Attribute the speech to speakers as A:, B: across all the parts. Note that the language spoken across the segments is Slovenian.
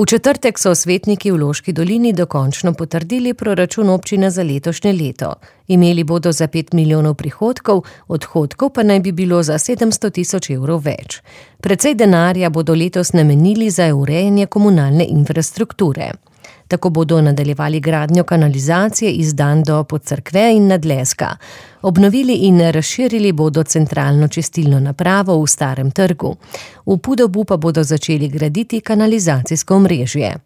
A: V četrtek so svetniki v Loški dolini dokončno potrdili proračun občine za letošnje leto. Imeli bodo za 5 milijonov prihodkov, odhodkov pa naj bi bilo za 700 tisoč evrov več. Precej denarja bodo letos namenili za urejanje komunalne infrastrukture. Tako bodo nadaljevali gradnjo kanalizacije iz Dan do Podcerkve in Nadleska. Obnovili in razširili bodo centralno čistilno napravo v Starem trgu. V Podobu pa bodo začeli graditi kanalizacijsko omrežje.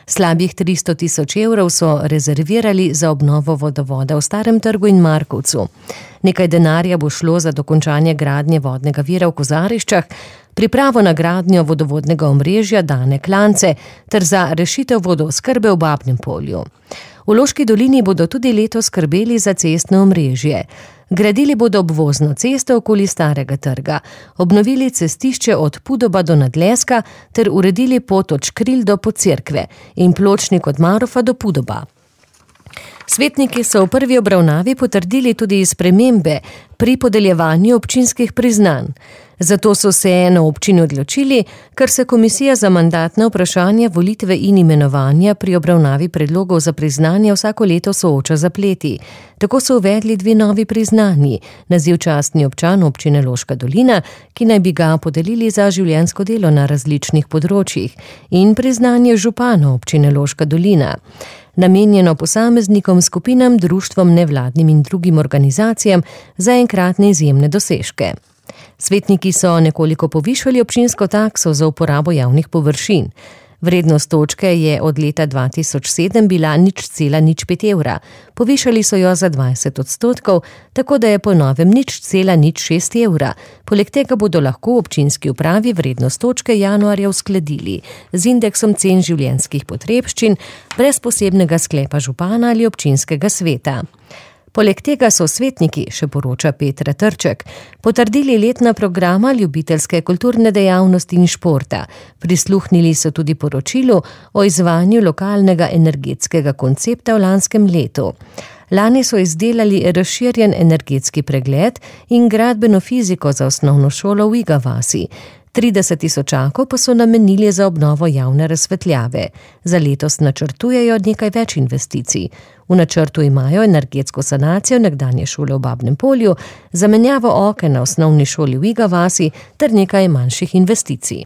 A: Slabih 300 tisoč evrov so rezervirali za obnovo vodovoda v Starem trgu in Markovcu. Nekaj denarja bo šlo za dokončanje gradnje vodnega vira v Kozariščah, pripravo na gradnjo vodovodnega omrežja Dane Klance ter za rešitev vodooskrbe v Babnem Polju. V Loški dolini bodo tudi letos skrbeli za cestno omrežje. Gradili bodo obvozno cesto okoli Starega trga, obnovili cestišče od Podoba do Nadleska ter uredili pot od Škril do Podcerkve in pločnik od Marofa do Podoba. Svetniki so v prvi obravnavi potrdili tudi spremembe pri podeljevanju občinskih priznanj. Zato so se na občini odločili, ker se komisija za mandatna vprašanja, volitve in imenovanja pri obravnavi predlogov za priznanje vsako leto sooča z zapleti. Tako so uvedli 2 novi priznanji, naziv častni občan občine Loška dolina, ki naj bi ga podelili za življenjsko delo na različnih področjih, in priznanje župana občine Loška dolina, namenjeno posameznikom, skupinam, društvom, nevladnim in drugim organizacijam za enkratne izjemne dosežke. Svetniki so nekoliko povišali občinsko takso za uporabo javnih površin. Vrednost točke je od leta 2007 bila 0,05 evra. Povišali so jo za 20%, tako da je po novem 0,06 evra. Poleg tega bodo lahko v občinski upravi vrednost točke januarja uskladili z indeksom cen življenjskih potrebščin brez posebnega sklepa župana ali občinskega sveta. Poleg tega so svetniki, še poroča Petra Trček, potrdili letna programa ljubiteljske kulturne dejavnosti in športa. Prisluhnili so tudi poročilu o izvajanju lokalnega energetskega koncepta v lanskem letu. Lani so izdelali razširjen energetski pregled in gradbeno fiziko za osnovno šolo v Iga vasi. 30 tisočakov pa so namenili za obnovo javne razsvetljave. Za letos načrtujejo nekaj več investicij. V načrtu imajo energetsko sanacijo nekdanje šole v Babnem Polju, zamenjavo oken na osnovni šoli v Iga vasi ter nekaj manjših investicij.